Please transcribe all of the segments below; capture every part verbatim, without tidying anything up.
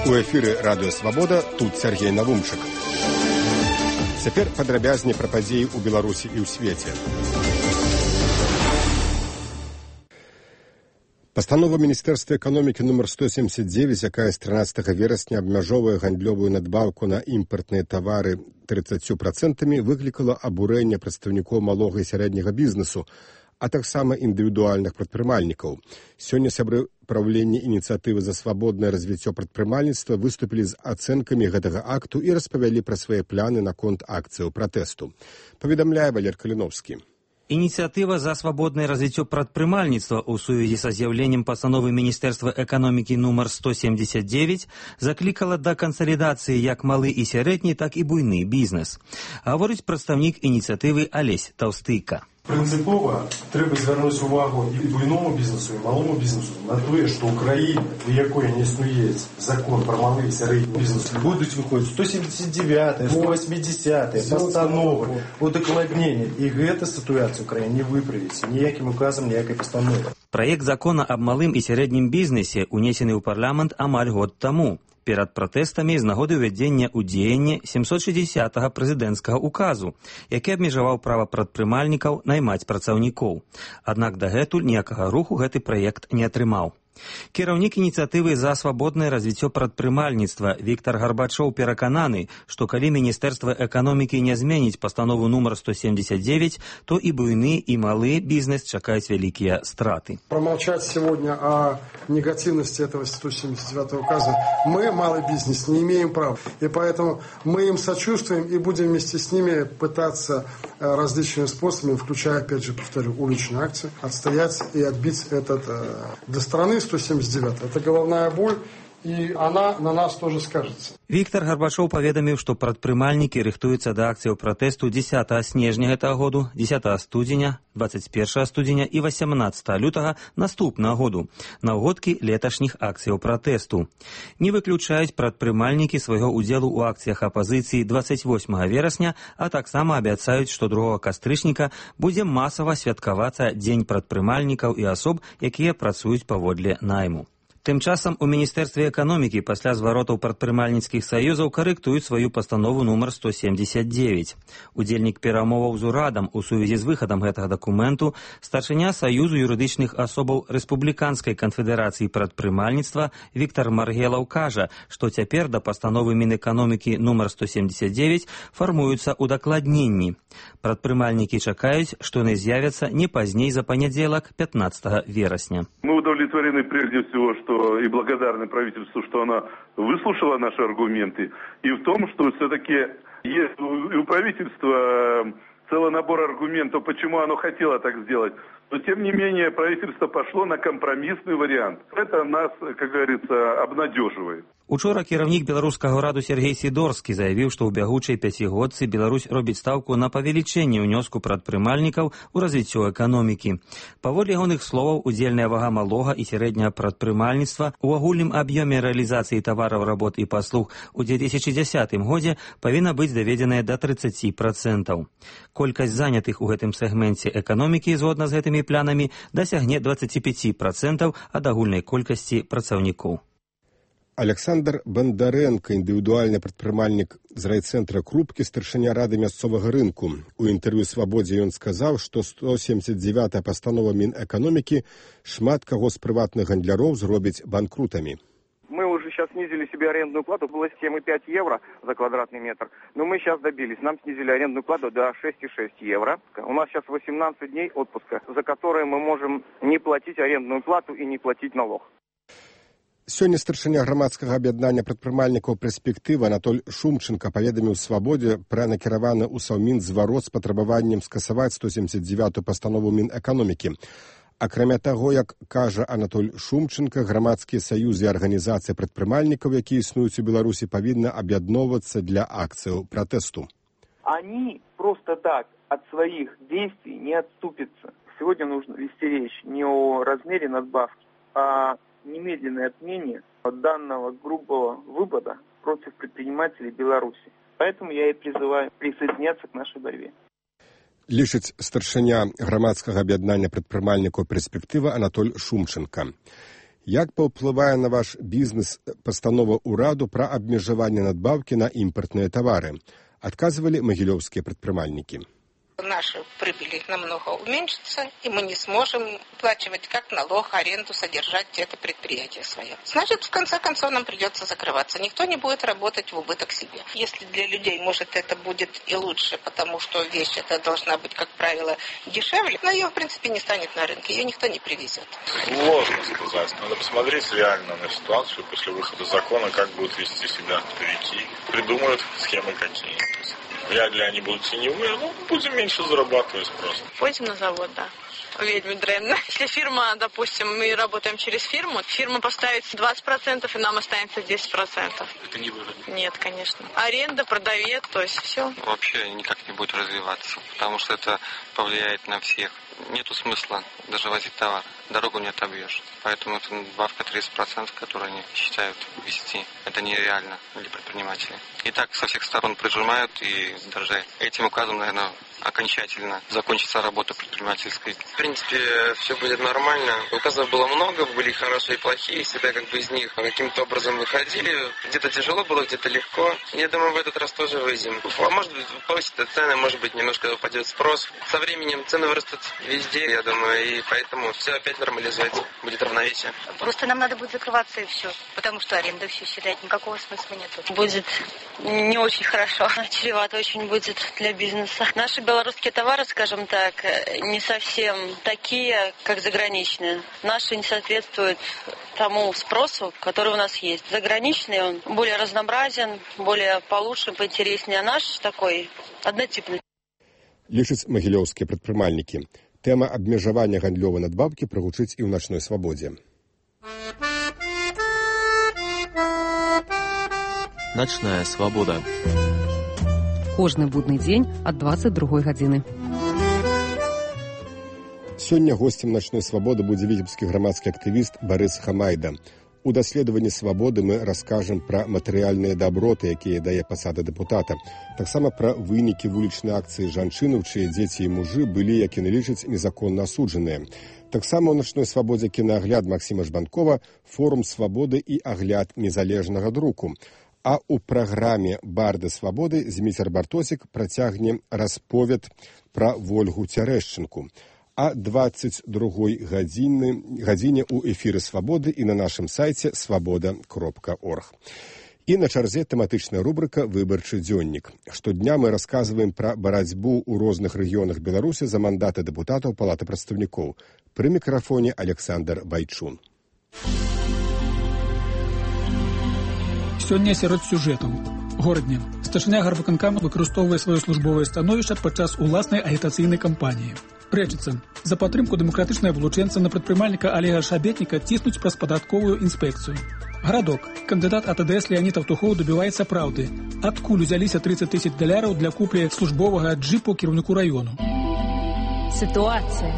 У эфіры радыё Свабода, тут Сергей Навумчык. Цяпер падрабязней пра падзеі ў Беларусі і ў свеце. Пастанова Міністэрства эканомікі нумар сто семьдесят девять, якая з трынаццатага верасня абмяжоўвае гандлёвую надбаўку на імпартныя тавары тридцатью процентамі, выклікала абурэнне прадстаўнікоў малога і сярэдняга бізнесу, а таксама індывідуальных прадпрымальнікаў. Сёння сябры праўлення ініцыятывы за свабоднае развіццё прадпрымальніцтва выступілі з ацэнкамі гэтага акту і распавялі пра свае планы наконт акцыяў пратэсту. Паведамляе Валер Каліновскі. Ініцыятыва за свабоднае развіццё прадпрымальніцтва ў сувязі са з'яўленнем пастановы Міністэрства эканомікі нумар сто семьдесят девять заклікала да кансалідацыі як малы і сярэдні, так і буйны бізнес. Гаворыць прадстаўнік ініцыятывы Алесь Таўстыйка. Принципово треба звернути увагу і буйному бізнесу, і малому бізнесу на те, що Україна, для якої не існує закон про малий і середній бізнес, будуть виходити сто сімдесят дев'ята, сто вісімдесята постанови, удокладнення. І ця ситуація в Україні не виправиться ніяким указом, ніякої постанови. Праект закона аб малым і сярэднім бізнесе унесены ў парламент амаль год таму. Перад пратэстамі з нагоды ўвядзення ў дзеянне сямсот шэсцідзесятага прэзідэнцкага указу, які абмежаваў права прадпрымальнікаў наймаць працаўнікоў. Аднак дагэтуль ніякага руху гэты праект не атрымаў. Кіраўнік ініцыятывы за свабоднае развіццё прадпрымальніцтва Віктар Гарбачоў перакананы, што калі Міністэрства эканомікі не зменіць пастанову нумар сто семьдесят девять, то і буйны, і малы бізнес чакаюць вялікія страты. Промолчать сегодня о негативности этого сто семьдесят девятого указа мы, малый бизнес, не имеем права. И поэтому мы им сочувствуем и будем вместе с ними пытаться различными способами, включая, опять же, повторю, уличную акцию, отстоять и отбить этот до страны сто семьдесят девять. Это головная боль, и она на нас тоже скажется. Віктар Гарбачоў паведаміў, што прадпрымальнікі рыхтуюцца да акцыяў пратэсту дзесятага снежня гэтага году, дзесятага студзеня, двадцать першага студзеня і восемнадцатага лютага наступнага году, на ўгодкі леташніх акцыяў пратэсту. Не выключаюць прадпрымальнікі свайго ўдзелу ў акцыях апазіцыі двадцать восьмага верасня, а таксама абяцаюць, што другога кастрычніка будзе масава святкавацца Дзень прадпрымальнікаў і асоб, якія працуюць паводле найму. Тым часам у Міністэрстве эканомікі пасля зваротаў прадпрымальніцкіх саюзаў карэктуюць сваю пастанову нумар сто семьдесят девять. Удзельнік перамоваў з урадам у сувязі з выхадам гэтага дакументу старшыня Саюзу юрыдычных асобаў Рэспубліканскай канфедэрацыі прадпрымальніцтва Віктар Маргелаў кажа, што цяпер да пастановы Мінэканомікі нумар сто семьдесят девять фармуюцца удакладненні. Прадпрымальнікі чакаюць, што яны з'явяцца не пазней за панядзелак пятнадцатага верасня. Мы удовлетворены прежде всего, что и благодарны правительству, что оно выслушало наши аргументы, и в том, что все-таки есть у правительства целый набор аргументов, почему оно хотело так сделать. Но, тем не менее, правительство пошло на компромиссный вариант. Это нас, как говорится, обнадеживает. Учора кіраўнік беларускага ўраду Сергей Сідорскі заявіў, што ў бягучай пяцігодцы Беларусь робіць стаўку на павелічэнне ўнёску прадпрымальнікаў у развіццё эканомікі. Паводле ягоных словаў, удзельная вага малога і сярэдняга прадпрымальніцтва ў агульным аб'ёме рэалізацыі тавараў, работ і паслуг у две тысячи дзесятым годзе павінна быць даведзеная да тридцати процентов. Колькасць занятых у гэтым сегменце эканомікі згодна з гэтымі планамі дасягне двадцати пяти процентов ад агульнай колькасці працаўнікоў. Александр Бондаренко, індывідуальны прадпрымальнік з райцэнтра Крупкі, старшыня рады мясцовага рынку. У інтэрв'ю «Свабодзе» ён сказаў, што сто семьдесят девятая пастанова Мінэканомікі шмат каго з прыватных гандляроў зробіць банкрутамі. Мы уже сейчас снизили себе арендную плату, было семь и пять евро за квадратный метр, но мы сейчас добились, нам снизили арендную плату до шесть и шесть евро. У нас сейчас восемнадцать дней отпуска, за которые мы можем не платить арендную плату и не платить налог. Сёння старшыня грамадскага аб'яднання прадпрымальнікаў «Перспектыва» Анатоль Шумченко паведаміў «Свабодзе» пра накіраваны ў Саўмін зварот з патрабаваннем скасаваць сто семьдесят девятую пастанову Мінэканомікі. Акрамя таго, як кажа Анатоль Шумченко, грамадскія саюзы і арганізацыі прадпрымальнікаў, якія існуюць у Беларусі, павінны аб'ядноўвацца для акцыяў пратэсту. Они просто так от своих действий не отступятся. Сегодня нужно вести речь не о размере надбавки, а немедленной отмене данного грубого выпада против предпринимателей Беларуси. Поэтому я и призываю присоединяться к нашей борьбе. Лічыць старшыня грамадскага аб'яднання прадпрымальнікаў «Перспектыва» Анатоль Шумченко. Як паўплывае на ваш бізнес пастанова ўраду пра абмежаванне надбаўкі на імпартныя тавары? Адказвалі магілёўскія прадпрымальнікі. Наши прибыли намного уменьшатся, и мы не сможем оплачивать как налог, аренду, содержать это предприятие свое. Значит, в конце концов, нам придется закрываться. Никто не будет работать в убыток себе. Если для людей, может, это будет и лучше, потому что вещь эта должна быть, как правило, дешевле, но ее, в принципе, не станет на рынке, ее никто не привезет. Сложно сказать. Надо посмотреть реально на ситуацию после выхода закона, как будут вести себя оптовики. Придумают схемы какие. Вряд ли они будут теневые, ну, будем меньше зарабатывать просто. Пойдем на завод, да. Ведьмы древно. Если фирма, допустим, мы работаем через фирму, фирма поставит двадцать процентов, и нам останется десять процентов. Это не выгодно? Нет, конечно. Аренда, продавец, то есть все. Вообще никак не будет развиваться, потому что это повлияет на всех. Нету смысла даже возить товар. Дорогу не отобьешь. Поэтому это надбавка тридцать процентов, которую они считают ввести. Это нереально для предпринимателей. И так со всех сторон прижимают и даже этим указом, наверное, окончательно закончится работа предпринимательской. В принципе, все будет нормально. Указов было много, были хорошие и плохие. Всегда как бы из них каким-то образом выходили. Где-то тяжело было, где-то легко. Я думаю, в этот раз тоже выйдем. А может быть, повысятся цены, может быть, немножко упадет спрос. Со временем цены вырастут везде, я думаю, и поэтому все опять нормализуется. Будет равновесие. Просто нам надо будет закрываться и все. Потому что аренда все считает, никакого смысла нет. Будет не очень хорошо. Чревато очень будет для бизнеса. Наши белорусские товары, скажем так, не совсем такие, как заграничные. Наши не соответствуют тому спросу, который у нас есть. Заграничный он более разнообразен, более получше, поинтереснее. А наш такой однотипный. Лічаць магілёўскія прадпрымальнікі. Тэма абмежавання гандлёвай надбаўкі прагучыць і ў начной свабодзе. Ночная свабода. Кожны будны дзень ад дваццаць другой гадзіны. Сёння госцем начной свабоды будзе віцебскі грамадскі актывіст Барыс Хамайда. У даследаванні свабоды мы раскажам пра матэрыяльныя даброты, якія дае пасада дэпутата. Таксама пра вынікі вулічнай акцыі жанчынаў, чые дзеці і мужы былі, як яны лічаць, незаконна асуджаныя. Таксама ў начной свабодзе кінаагляд Максіма Жбанкова, форум свабоды і агляд незалежнага друку. А ў праграме «Барды свабоды» Зміцер Бартосік працягне расповед пра Вольгу Цярэшчынку. А двадцать другой гадзіне ў эфіры «Свабоды» і на нашым сайце свабода кропка орг. І на чарзе тэматычная рубрыка «Выбарчы дзённік». Штодня мы расказваем пра барацьбу ў розных рэгіёнах Беларусі за мандаты дэпутатаў Палаты прадстаўнікоў. Пры мікрафоне Александр Байчун. Сёння сярод сюжэтаў. Горадне. Старшыня гарвыканкама выкарыстоўвае сваё службовае становішча падчас уласнай агітацыйнай кампаніі. Рэчыцца. За падтрымку дэмакратычнага вылучэнца на прадпрымальніка Олега Шабетніка ціснуць праз падатковую інспекцыю. Гарадок. Кандыдат АТДС Леонид Автухоў добіваецца праўды. Адкуль узяліся тридцать тысяч даляраў для куплі службовага джипу кіраўніку раёну? Сітуацыя.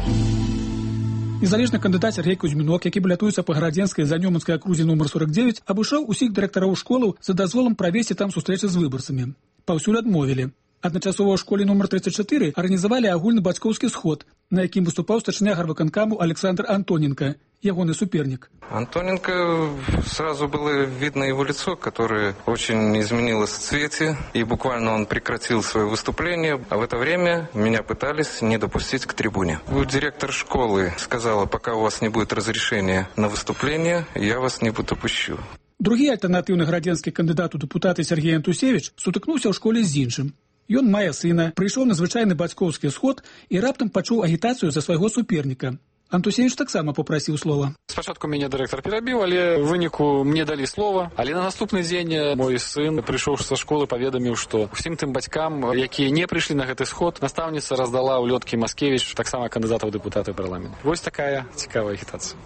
Незалежны кандыдат Сергей Кузьмінок, які балятуецца па гарадзенскай занёманскай акрузе нумар сорок девять, абышоў усіх дырэктараў школаў за дазволам правесці там сустрэчы з выбарцамі. Паўсюль адмовілі. Адначасова ў школе нумар тридцать четыре арганізавалі агульны бацькоўскі сход, на якім выступаў старшыня гарвыканкаму Александр Антоненко, ягоны суперник. Антоненко, сразу было видно его лицо, которое очень изменилось в цвете, и буквально он прекратил свое выступление, а в это время меня пытались не допустить к трибуне. Директор школы сказала, пока у вас не будет разрешения на выступление, я вас не допущу. Другі альтэрнатыўны гарадзенскі кандыдат у дэпутаты Сергей Антусевич сутыкнуўся ў школе з іншым. Ён мае сына, прыйшоў на звычайны бацькоўскі сход і раптам пачуў агітацыю за свайго суперніка. Антусевич таксама папрасіў слова. Спачатку мяне дырэктар перабіў, але ў выніку мне далі слова. Але на наступны дзень мой сын, прыйшоўшы са школы, паведаміў, што ўсім тым бацькам, якія не прыйшлі на гэты сход, настаўніца раздала ўлёткі Маскевіч, таксама кандыдата ў дэпутаты парламенту. Вось такая цікавая агітацыя.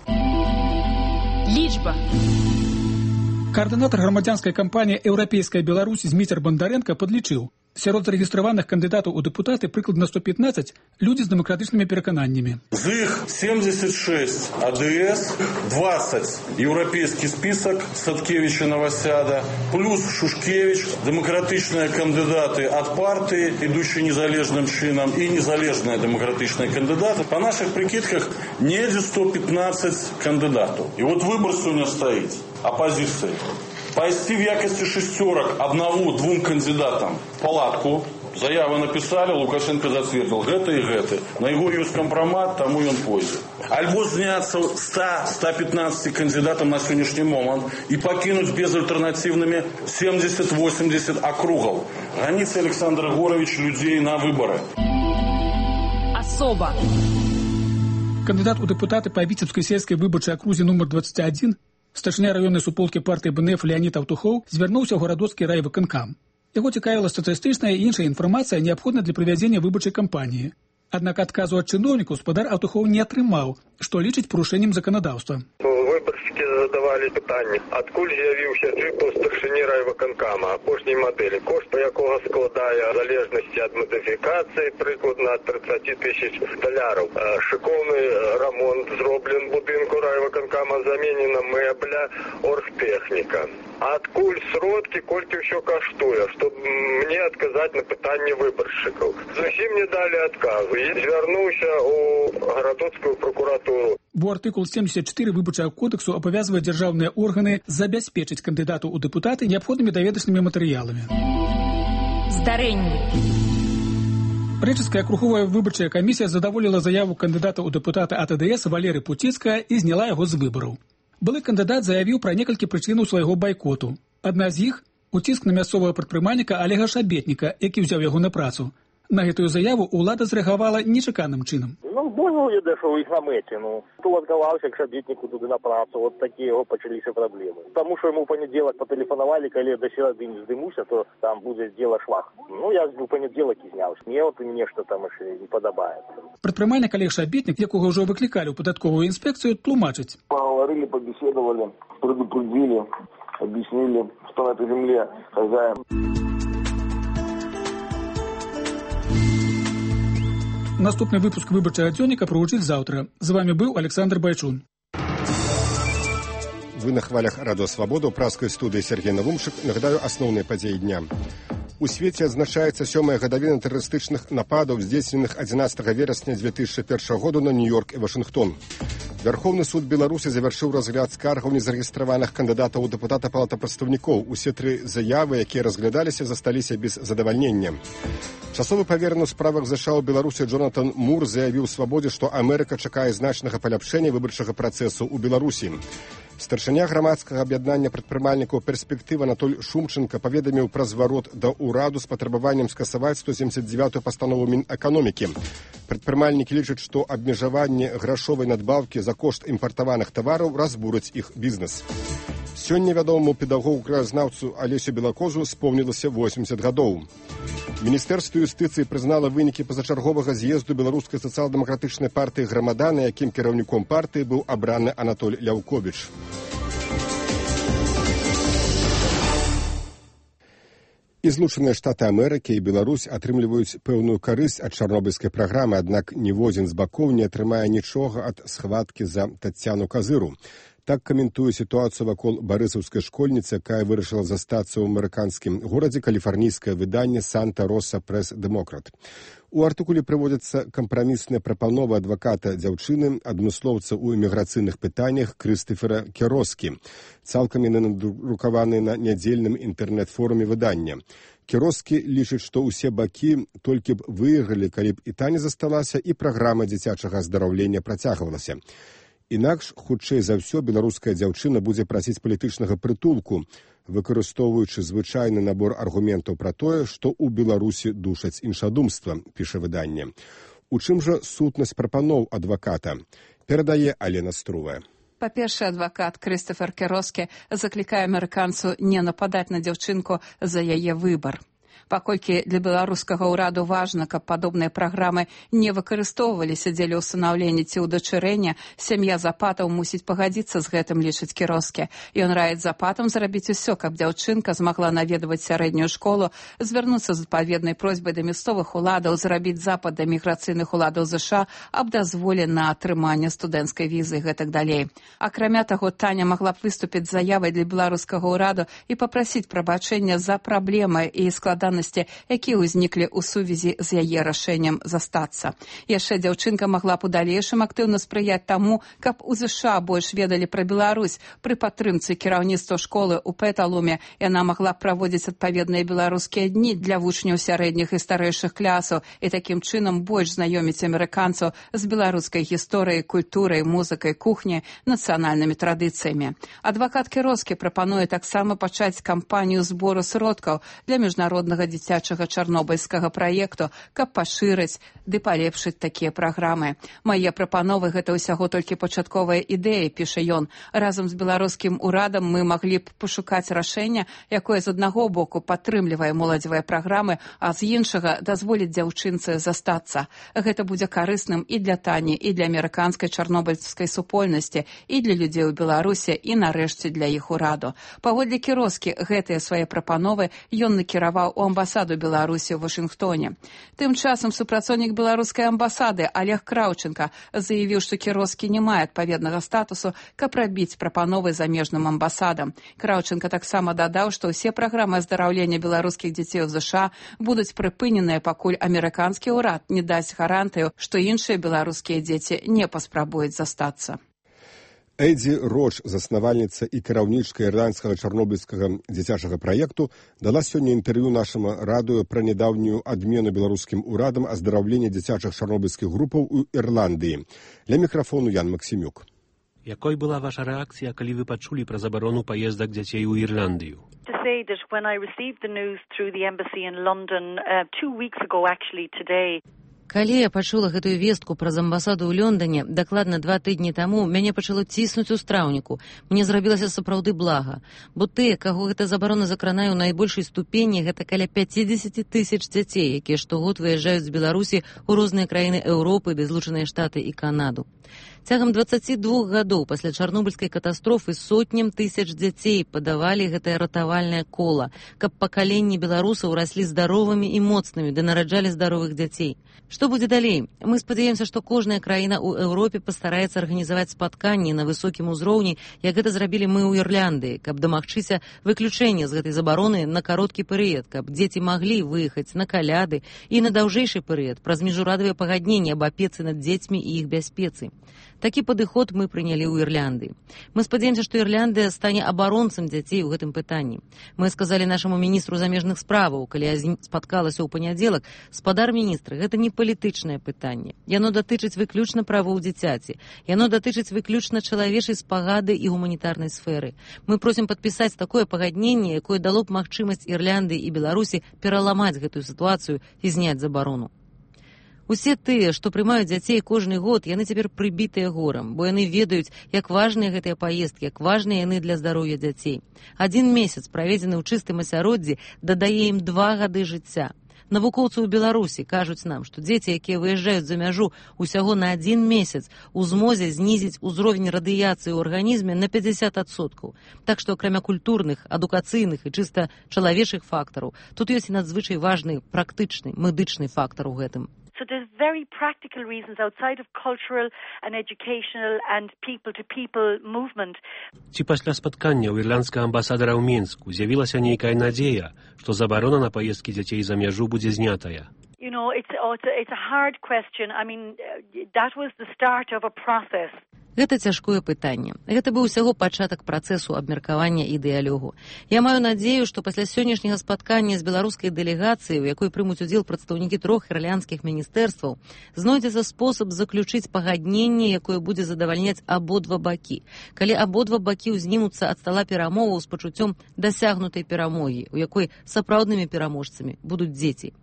Лічба. Координатор громадянской кампании «Европейская Беларусь» Зміцер Бондаренко подлічыў. Сярод зарэгістраваных кандыдатаў у дэпутаты прыкладна сто пятнадцать людзі з дэмакратычнымі перакананнямі. З іх семьдесят шесть АДС, двадцать еўрапейскі список Садкевича Новосяда, плюс Шушкевич, дэмакратычныя кандыдаты ад партыі, ідучыя незалежным чынам, і незалежныя дэмакратычныя кандыдаты. Па нашых прикидках недзе сто пятнадцать кандыдатаў. І вот выбор сёння стаіць апозіцыі. Пайсці в якасці шестерок одному-двум кандидатам в палатку. Заявы написали, Лукашенко зацвердил. Гэта и гэта. На его ёсць компромат, тому он пойдзе. Альбо зняться ста-ста пятнадцати кандидатам на сегодняшний момент и покинуть безальтернативными семьдесят-восемьдесят округов. Граница Александр Егорович людей на выборы. Особо. Кандидат у депутаты по Витебской сельской выборчай окрузе номер двадцать один, старшыня раённай суполкі партыі БНФ Леонид Аўтухоў звярнуўся ў гарадоцкі райвыканкам. Яго цікавіла статыстычная і іншая інфармацыя, неабходная для правядзення выбарчай кампаніі. Аднак адказу ад чыноўнікаў спадар Аўтухоў не атрымаў, што лічыць парушэннем заканадаўства. Выбаршчыкі задавалі пытанні, адкуль з'явіўся джип у старшыні райвыканкама апошняй мадэлі, кошт па якога складае в залежнасці ад мадыфікацыі прыкладна ад тридцать тысяч даляраў. Шыкоўны рамонт зроблен будынку райвыканкама, заменена мэбля, оргтэхніка. Адкуль сродкі, колькі ўсё каштуе, што мне адказаць на пытанні выбаршчыкаў. Зусім не далі адказу. Я звярнуўся ў гарадоцкую прокуратуру. Бо артыкул семьдесят четыре выбарчага кодексу абавязвае дзяржаўныя органы забяспечыць кандыдату ў дэпутаты неабходнымі даведачнымі матэрыяламі. Здарэнні. Рэчыцкая акруговая выбарчая камісія задаволіла заяву кандыдата ў дэпутаты ад АДС Валеры Пуціцкага і зняла яго з выбараў. Былы кандыдат заявіў пра некалькі прычынаў свайго байкоту. Адна з іх – уціск на мясцовага прадпрымальніка Олега Шабетніка, які ўзяў яго на працу. На гэтую заяву ўлада зрэагавала нечаканым чынам. Ну, понял я, да, что их на мэте, ну. Кто отказался к Шабетнику туды на працу, вот такие его почались проблемы. Потому что ему в понеделок потелефоновали, когда до середы не сдымуся, то там будет дело швах. Ну, я в понеделок и снял. Мне вот нечто там еще не подобает. Прадпрымальнік Олег Шабетнік, якога ўжо выклікалі ў падатковую інспекцыю, тлумачыць. Поговорили, побеседовали, предупредили, объяснили, что на этой земле хозяин. Наступны выпуск выбарчага дзённіка прагучыць заўтра. З вами быў Александр Байчун. Вы на хвалях Радио Свобода, у праскай студыі Сергей Навумшык. Нагадаю асноўныя падзеі дня. У свеце адзначаецца сёмая гадавіна тэрарыстычных нападаў, здзейсненых адзінаццатага верасня дзве тысячы першага году на Нью-Йорк і Вашынгтон. Вярхоўны суд Беларусі завяршыў разгляд скаргаў незарэгістраваных кандыдатаў у дэпутата Палаты прадстаўнікоў. Усе тры заявы, якія разглядаліся, засталіся без задавальнення. Часовы павераны ў справах ЗША ў Беларусі Джонатан Мур заявіў Свабодзе, што Амерыка чакае значнага паляпшэння выбарчага працэсу ў Беларусі. Старшыня грамадскага аб'яднання прадпрымальнікаў «Перспектыва» Анатоль Шумченко паведаміў пра зварот да ўраду з патрабаваннем скасаваць сто семьдесят девятую пастанову Мінэканомікі. Прадпрымальнікі лічаць, што абмежаванне грашовай надбаўкі за кошт імпартаваных тавараў разбурыць іх бізнес. Сёння вядомаму педагогу-краязнаўцу Алесю Белакозу спомнілася восемьдесят гадоў. Міністэрства юстыцыі прызнала вынікі пазачарговага з'езду беларускай сацыял-дэмакратычнай партыі «Грамада», на якім кіраўніком партыі быў абраны Анатоль Ляўковіч. І Злучаныя Штаты Амерыкі і Беларусь атрымліваюць пэўную карысць ад чарнобыльскай праграмы, аднак ніводзін з бакоў не атрымае нічога ад схваткі за Таццяну Казыру. Так каментуе сітуацыю вакол барысаўскай школьніцы, якая вырашыла застацца ў амерыканскім горадзе, каліфарнійскае выданне «Санта-Роса Прэс-Дэмократ». У артыкуле прыводзяцца кампрамісныя прапановы адваката дзяўчыны, адмыслоўца ў іміграцыйных пытаннях Крыстафера Кероскі. Цалкам яны надрукаваны на нядзельным інтэрнэт-форуме выдання. Кероскі лічыць, што ўсе бакі толькі б выйгралі, калі б і та не засталася, і праграма дзіцячага аздараўлення працягвалася. Інакш, хутчэй за ўсё, беларуская дзяўчына будзе прасіць палітычнага прытулку, выкарыстоўваючы звычайны набор аргументаў пра тое, што ў Беларусі душаць іншадумства, піша выданне. У чым жа сутнасць прапаноў адваката? Перадае Алена Струвая. Па-першае, адвакат Крыстафер Кероскі заклікае амерыканцу не нападаць на дзяўчынку за яе выбар. Паколькі для беларускага ўраду важна, каб падобныя праграмы не выкарыстоўваліся дзеля ўстанаўлення ці ўдачырэння, сям'я Запатаў мусіць пагадзіцца з гэтым, лічыць Кіроскі. Ён раіць Запатам зрабіць усё, каб дзяўчынка змагла наведваць сярэднюю школу, звярнуцца з адпаведнай просьбай да мясцовых уладаў, зрабіць запад да міграцыйных уладаў ЗША аб дазволе на атрыманне студэнцкай візы і гэтак далей. Акрамя таго, Таня магла б выступіць з заявай для беларускага ўраду і папрасіць прабачэння за праблемы і складанасці, якія ўзніклі ў сувязі з яе рашэннем застацца. Яшчэ дзяўчынка магла б у далейшым актыўна спрыяць таму, каб у ЗША больш ведалі пра Беларусь. Пры падтрымцы кіраўніцтва школы ў Пэталуме яна магла б праводзіць адпаведныя беларускія дні для вучняў сярэдніх і старэйшых класаў і такім чынам больш знаёміць амерыканцаў з беларускай гісторыяй, культурай, музыкай, кухняй, нацыянальнымі традыцыямі. Адвакат Кіроскі прапануе таксама пачаць кампанію збору сродкаў для міжнароднага дзіцячага чарнобыльскага праекту, каб пашырыць ды палепшыць такія праграмы. Мае прапановы — гэта ўсяго толькі пачатковая ідэя, піша ён. Разам з беларускім урадам мы маглі б пашукаць рашэнне, якое з аднаго боку падтрымлівае моладзевыя праграмы, а з іншага дазволіць дзяўчынцы застацца. Гэта будзе карысным і для Тані, і для амерыканскай чарнобыльскай супольнасці, і для людзей у Беларусі, і нарэшце для іх ураду. Паводле Кіроскі, гэтыя свае прапановы ён накіраваў у амбасаду Беларусі ў Вашынгтоне. Тым часам супрацоўнік беларускай амбасады Олег Краўченка заявіў, што Кіроскі не мае адпаведнага статусу, каб рабіць прапановы замежным амбасадам. Краўченка таксама дадаў, што ўсе праграмы аздараўлення беларускіх дзяцей у ЗША будуць прыпыненыя, пакуль амерыканскі ўрад не дасць гарантыю, што іншыя беларускія дзеці не паспрабуюць застацца. Эдзі Роч, заснавальніца і кіраўнічка ірландскага чарнобыльскага дзіцячага праекту, дала сёння інтэрв'ю нашаму радыё пра нядаўнюю адмену беларускім урадам аздараўлення дзіцячых чарнобыльскіх групаў у Ірландыі. Ля мікрафону Ян Максімюк. Якой была ваша рэакцыя, калі вы пачулі пра забарону паездак дзяцей у Ірландыю? To say that when I received the news through the embassy in London uh, two weeks ago, actually today. Калі я пачула гэтую вестку праз амбасаду ў Лондоне, дакладна два тыдні таму, мяне пачало ціснуць у страўніку. Мне зрабілася сапраўды блага. Бо тыя, каго гэта забарона закранае ў найбольшай ступені, гэта каля пяцьдзесят тысяч дзяцей, якія штогод выязджаюць з Беларусі ў розныя краіны Еўропы, ды Злучаныя Штаты і Канаду. Цягам дваццаці двух гадоў пасля чарнобыльскай катастрофы сотням тысяч дзяцей падавалі гэтае ратавальнае кола, каб пакаленні беларусаў раслі здаровымі і моцнымі, ды нараджалі здаровых дзяцей. Што будзе далей? Мы спадзяемся, што кожная краіна ў Еўропе пастараецца арганізаваць спатканні на высокім узроўні, як гэта зрабілі мы ў Ірландыі, каб дамагчыся выключэння з гэтай забароны на кароткі перыяд, каб дзеці маглі выехаць на каляды і на даўжэйшы перыяд праз міжурадавыя пагадненні аб апецы над дзецьмі і іх бяспецы. Такі падыход мы прынялі ў Ірландыі. Мы спадзяемся, што Ірландыя стане абаронцам дзяцей у гэтым пытанні. Мы сказалі нашаму міністру замежных справаў, калі я спаткалася ў панядзелак, спадар міністра, гэта не палітычнае пытанне. Яно датычыць выключна правоў дзіцяці. Яно датычыць выключна чалавечай спагады і гуманітарнай сферы. Мы просім падпісаць такое пагадненне, якое дало б магчымасць Ірландыі і Беларусі пераламаць гэтую сітуацыю і зняць забарону. Усе тыя, што прымаюць дзяцей кожны год, яны цяпер прыбітыя горам, бо яны ведаюць, як важныя гэтыя паездкі, як важныя яны для здароўя дзяцей. Адзін месяц, праведзены ў чыстым асяроддзі, дадае ім два гады жыцця. Навукоўцы ў Беларусі кажуць нам, што дзеці, якія выязджаюць за мяжу усяго на адзін месяц, у змозе знізіць узровень радыяцыі ў арганізме на пятьдесят адсоткаў. Так што, акрамя культурных, адукацыйных і чыста чалавечых фактараў, тут ёсць і надзвычай важны практычны, медычны фактар у гэтым. So there's very practical reasons outside of cultural and educational and people-to-people movement. Ці пасля спаткання ў ірландскага амбасадара ў Мінску з'явілася нейкая надзея, што забарона на паездкі дзяцей за мяжу будзе знятая? You know, it's, oh, it's, a, it's a hard question. I mean, that was the start of a process. Гэта цяжкое пытанне. Гэта быў усяго пачатак працэсу абмеркавання і дыялогу. Я маю надзею, што пасля сённяшняга спаткання з беларускай дэлегацыяй, у якой прымуць удзел прадстаўнікі трох ірландскіх міністэрстваў, знойдзецца спосаб заключыць пагадненне, якое будзе задавальняць абодва бакі. Калі абодва бакі ўзнімуцца ад стала перамоваў з пачуццём дасягнутай перамогі, у якой сапраўднымі пераможцамі будуць дзеці.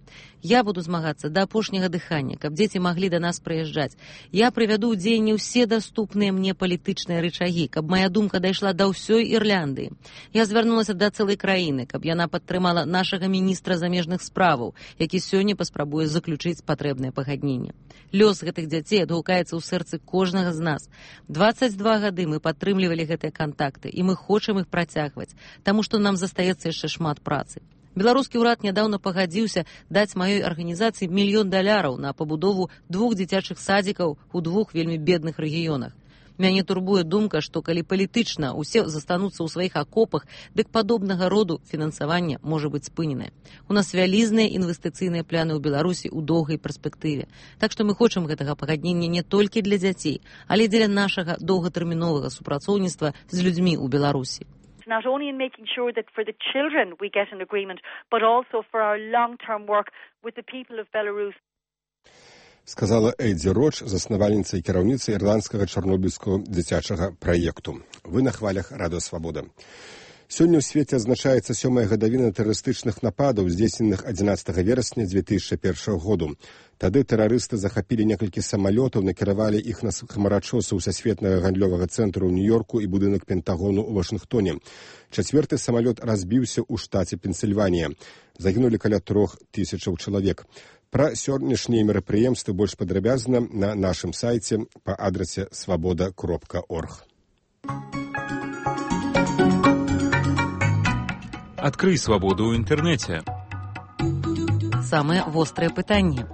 Я буду змагацца да апошняга дыхання, каб дзеці маглі да нас прыязджаць. Я прывяду ў дзеянне ўсе даступныя патрэбныя мне палітычныя рычагі, каб моя думка дайшла да ўсёй Ірландыі. Я звярнулася да цэлай краіны, каб яна падтрымала нашага міністра замежных справаў, які сёння паспрабуе заключыць патрэбнае пагадненне. Лёс гэтых дзяцей адгукаецца ў сэрцы кожнага з нас. дваццаць два гады мы падтрымлівалі гэтыя кантакты, і мы хочам іх працягваць, таму што нам застаецца яшчэ шмат працы. Беларускі ўрад нядаўна пагадзіўся даць маёй арганізацыі мільён даляраў на пабудову двух дзіцячых садзікаў у двух вельмі бедных рэгіёнах. Мяне турбуе думка, што калі палітычна ўсе застануцца ў сваіх акопах, дык падобнага роду фінансаванне можа быць спыненае. У нас вялізныя інвестыцыйныя пляны ў Беларусі ў доўгай перспектыве. Так што мы хочам гэтага пагаднення не толькі для дзяцей, але дзеля нашага доўгатэрміновага супрацоўніцтва з людзьмі ў Беларусі. Not only in making sure that for the children we get an agreement, but also for our long-term work with the people of Belarus. Сказала Эйдзі Роч, заснавальніца і кіраўніца ірландскага чарнобыльскага дзіцячага праекту. Вы на хвалях Радыё Свабода. Сёння ў свеце адзначаецца сёмая гадавіна тэрарыстычных нападаў, здзейсненых адзінаццатага верасня дзве тысячы першага году. Тады тэрарысты захапілі некалькі самалётаў, накіравалі іх на хмарачосаў сусветнага гандлёвага цэнтру ў Нью-Йорку і будынак Пентагону ў Вашынгтоне. Чацвёрты самалёт разбіўся ў штаце Пенсільванія. Загінулі каля трох тысячаў чалавек. Пра сённяшнія мерапрыемствы больш падрабязна на нашым сайце па адрасе свабода кропка орг. Открый свободу в интернете. Самые острые пытанні.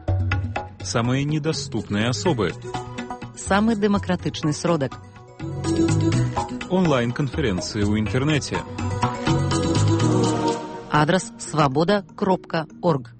Самые недоступные особы. Самый демократичный сродок. Онлайн-конференции в интернете. Адрес свобода кропка орг.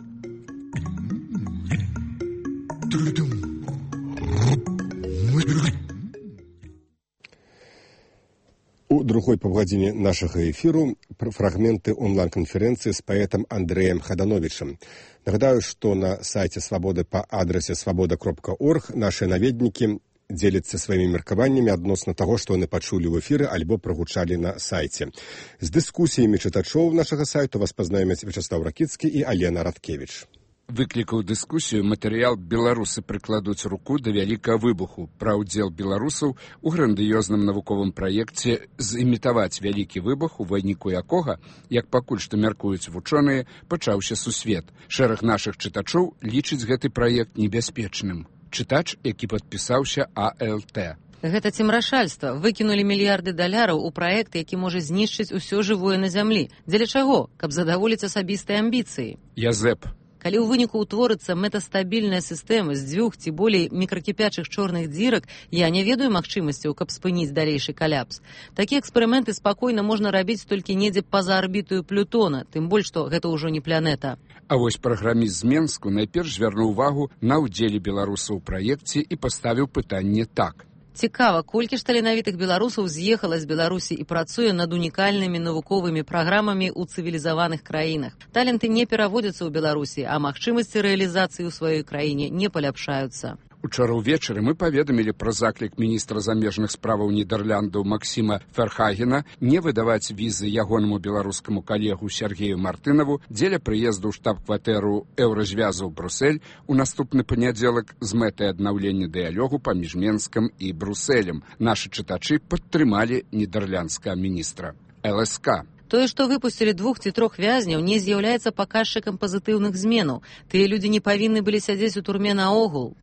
У другой паўгадзіне нашага эфіру фрагменты онлайн-канферэнцыі з паэтам Андрэем Хадановічам. Нагадаю, што на сайце Свабоды па адрасе свабода кропка орг нашы наведнікі дзеляцца сваімі меркаваннямі адносна таго, што яны пачулі ў эфіры альбо прагучалі на сайце. З дыскусіямі чытачоў нашага сайту вас пазнаёмяць Вячаслаў Ракіцкі і Алена Радкевіч. Выклікаў дыскусію матэрыял «Беларусы прыкладуць руку да вялікага выбуху» пра ўдзел беларусаў у грандыёзным навуковым праекце зімітаваць вялікі выбух, у выніку якога, як пакуль што мяркуюць вучоныя, пачаўся сусвет. Шэраг нашых чытачоў лічыць гэты праект небяспечным. Чытач, які падпісаўся А Л Т. Гэта цемрашальства. Выкінулі мільярды даляраў у праект, які можа знішчыць усё жывое на зямлі. Дзеля чаго? Каб задаволіць асабістыя амбіцыі. Язэп. Калі ў выніку ўтворыцца мэтастабільная сістэма з дзвюх ці болей мікракіпячых чорных дзірак, я не ведаю магчымасцяў, каб спыніць далейшы каляпс. Такія эксперыменты спакойна можна рабіць толькі недзе па-за арбітаю Плютона, тым больш, што гэта ўжо не планета. А вось праграміст з Менску найперш звярнуў увагу на ўдзеле беларусаў у праекце і паставіў пытанне так. Цікава, колькі ж таленавітых беларусаў з'ехала з Беларусі і працуе над унікальнымі навуковымі праграмамі ў цывілізаваных краінах. Таленты не пераводзяцца ў Беларусі, а магчымасці рэалізацыі ў сваёй краіне не паляпшаюцца. Учора ўвечары мы паведамілі пра заклік міністра замежных справаў Нідэрляндаў Максіма Ферхагена не выдаваць візы ягонаму беларускаму калегу Сергею Мартынаву дзеля прыезду ў штаб-кватэру Еўразвязу ў Брусэль у наступны панядзелак з мэтай аднаўлення дыялогу паміж Менскам і Брусэлем. Нашы чытачы падтрымалі нідэрляндскага міністра. Л С К. Тое, што выпусцілі двух ці трох вязняў, не з'яўляецца паказчыкам пазітыўных зменаў. Тыя людзі не павінны былі сядзець у турме наогул.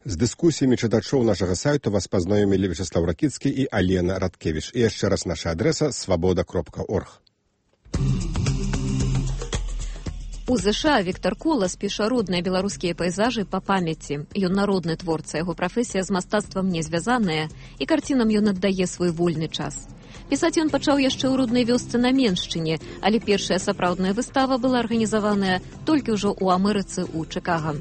З дыскусіямі чытачоў нашага сайту вас пазнаёмілі Вячаслаў Ракіцкі і Алена Радкевіч. І яшчэ раз наша адрэса свабода кропка орг. У ЗША Віктор Колас піша родныя беларускія пейзажы па памяці. Ён народны творца, яго прафесія з мастацтвам не звязаная, і карцінам ён аддае свой вольны час. Пісаць ён пачаў яшчэ ў роднай вёсцы на Меншчыне, але першая сапраўдная выстава была арганізаваная толькі ўжо ў Амерыцы ў Чыкага.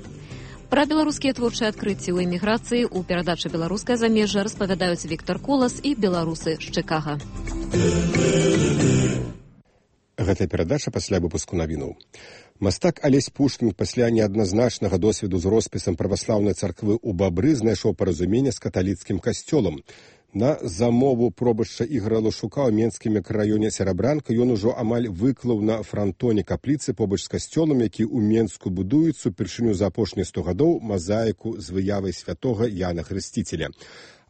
Пра беларускія творчыя адкрыцці ў эміграцыі ў перадачы «Беларускае замежжа» распавядаюць Віктор Колас і беларусы з Чыкага. Гэтая перадача пасля выпуску навінаў. Мастак Алесь Пушкін пасля неадназначнага досведу з роспісам праваслаўнай царквы ў Бабры знайшоў паразуменне з каталіцкім касцёлам. На замову пробашча Ігора Лушука ў Менскім мікрараёне Серабранка ён ужо амаль выклаў на франтоне капліцы побач з касцёлам, які ў Менску будуецца упершыню за апошнія сто гадоў мазаіку з выявай святога Яна Хрысціцеля.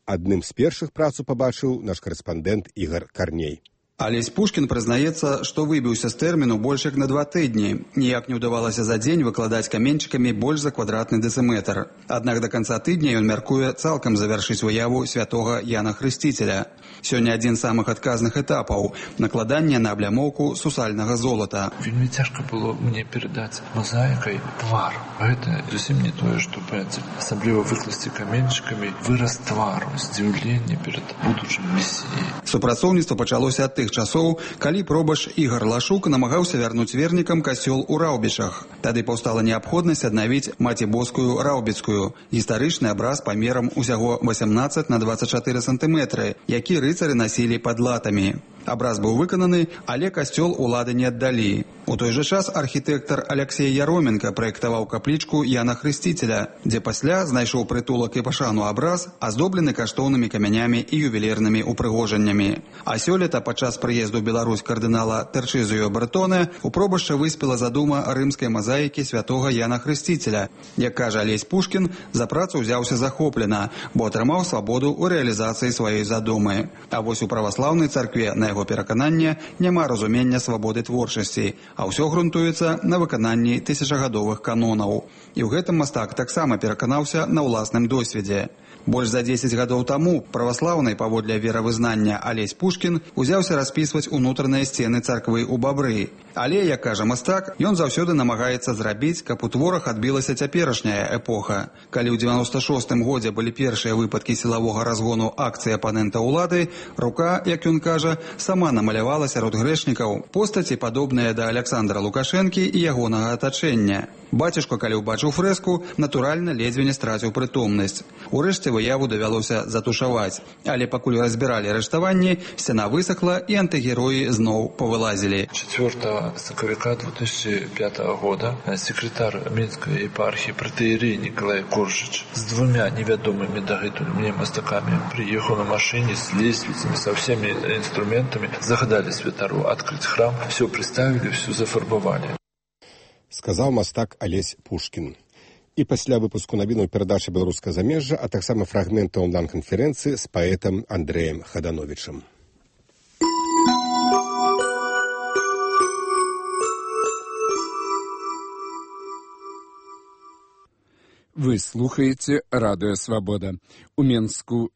Адным з першых працу пабачыў наш карэспандэнт Ігар Карней. Алесь Пушкін прызнаецца, што выбіўся з тэрміну больш як на два тыдні. Ніяк не ўдавалася за дзень выкладаць каменьчыкамі больш за квадратны дэцыметр. Аднак да канца тыдня ён мяркуе цалкам завяршыць выяву святога Яна Хрысціцеля. Сёння адзін з самых адказных этапаў – накладанне на аблямоўку сусальнага золата. Вельмі цяжка было мне перадаць мазаікай твар. Гэта зусім не тое, што пэцель. Асабліва выкласці каменьчыкамі выраз твару, здзіўленне перад будучым месіяй. Супрацоўніцтва пачалося ад тых часоў, калі пробаш Ігар Лашук намагаўся вярнуць вернікам касцёл у Раўбічах. Тады паўстала неабходнасць аднавіць Маці-Боскую Раўбіцкую, гістарычны абраз памерам усяго васямнаццаць на дваццаць чатыры сантыметры, які рыцары насілі пад латамі. Абраз быў выкананы, але касцёл улады не аддалі. У той жа час архітэктар Аляксей Яроменка праектаваў каплічку Яна Хрысціцеля, дзе пасля знайшоў прытулак і пашану абраз, аздоблены каштоўнымі камянямі і ювелірнымі упрыгожаннямі. А сёлета падчас прыезду ў Беларусь кардынала Тэрчызіо Бретоне у пробашча выспела задума рымскай мазаікі святога Яна Хрысціцеля. Як кажа Алесь Пушкін, за працу ўзяўся захоплена, бо атрымаў свабоду ў рэалізацыі сваёй задумы. А вось у праваслаўнай царкве, на яго перакананне, няма разумення свабоды творчасці, а ўсё грунтуецца на выкананні тысячагадовых канонаў. І ў гэтым мастак таксама пераканаўся на ўласным досведзе. Больш за дзесяць гадоў таму праваслаўнай паводле веравызнання Алесь Пушкін узяўся распісваць унутраныя сцены царквы ў Бабры. Але, як кажа мастак, ён заўсёды намагаецца зрабіць, каб у творах адбілася цяперашняя эпоха. Калі ў дзевяноста шостым годзе былі першыя выпадкі сілавога разгону акцыі апанента ўлады, рука, як ён кажа, сама намалявала сярод грэшнікаў постаці, падобныя да Аляксандра Лукашэнкі і ягонага атачэння. Бацюшка, калі ўбачыў фрэску, натуральна ледзьве не страціў прытомнасць. Урэшце выяву давялося затушаваць. Але пакуль разбіралі арыштаванні, сцяна высохла і антыгероі зноў павылазілі. четвёртого сакавіка две тысячи пятого года секретарь Минской епархии протоиерей Николай Коржич с двумя неведомыми дагэтуль мне мастаками приехал на машине с лестницами, со всеми инструментами, загадали святару открыть храм, все приставили, все зафарбовали. Сказаў мастак Алесь Пушкін. І пасля выпуску навінаў перадачы «Беларускае замежжа», а таксама фрагмента онлайн-канферэнцыі з паэтам Андрэем Хадановічам. Вы слухаеце радыё «Свабода». У Менску